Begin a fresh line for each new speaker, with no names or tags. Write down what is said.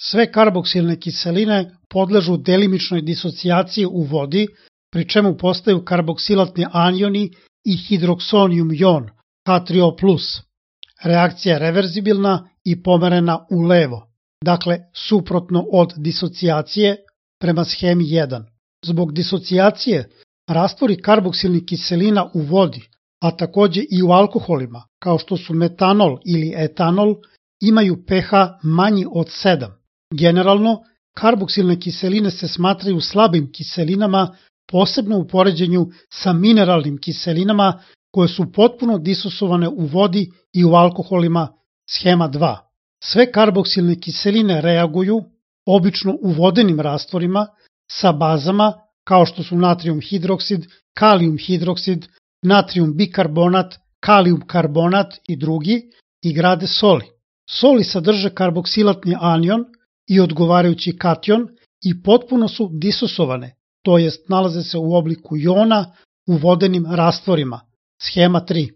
Sve karboksilne kiseline podležu delimičnoj disocijaciji u vodi, pri čemu postaju karboksilatni anioni i hidroksonijum jon, H3O+. Reakcija je reverzibilna i pomerena u levo, dakle suprotno od disocijacije prema schemi 1. Zbog disocijacije, rastvori karboksilnih kiselina u vodi, a takođe i u alkoholima, kao što su metanol ili etanol, imaju pH manji od 7. Generalno, karboksilne kiseline se smatraju slabim kiselinama, posebno u poređenju sa mineralnim kiselinama koje su potpuno disosovane u vodi i u alkoholima, schema 2. Sve karboksilne kiseline reaguju, obično u vodenim rastvorima, sa bazama kao što su natrijum hidroksid, kalijum hidroksid, natrijum bikarbonat, kalijum karbonat i drugi i grade soli. Soli sadrže karboksilatni anion i odgovarajući kation i potpuno su disosovane, to jest nalaze se u obliku jona u vodenim rastvorima, schema 3.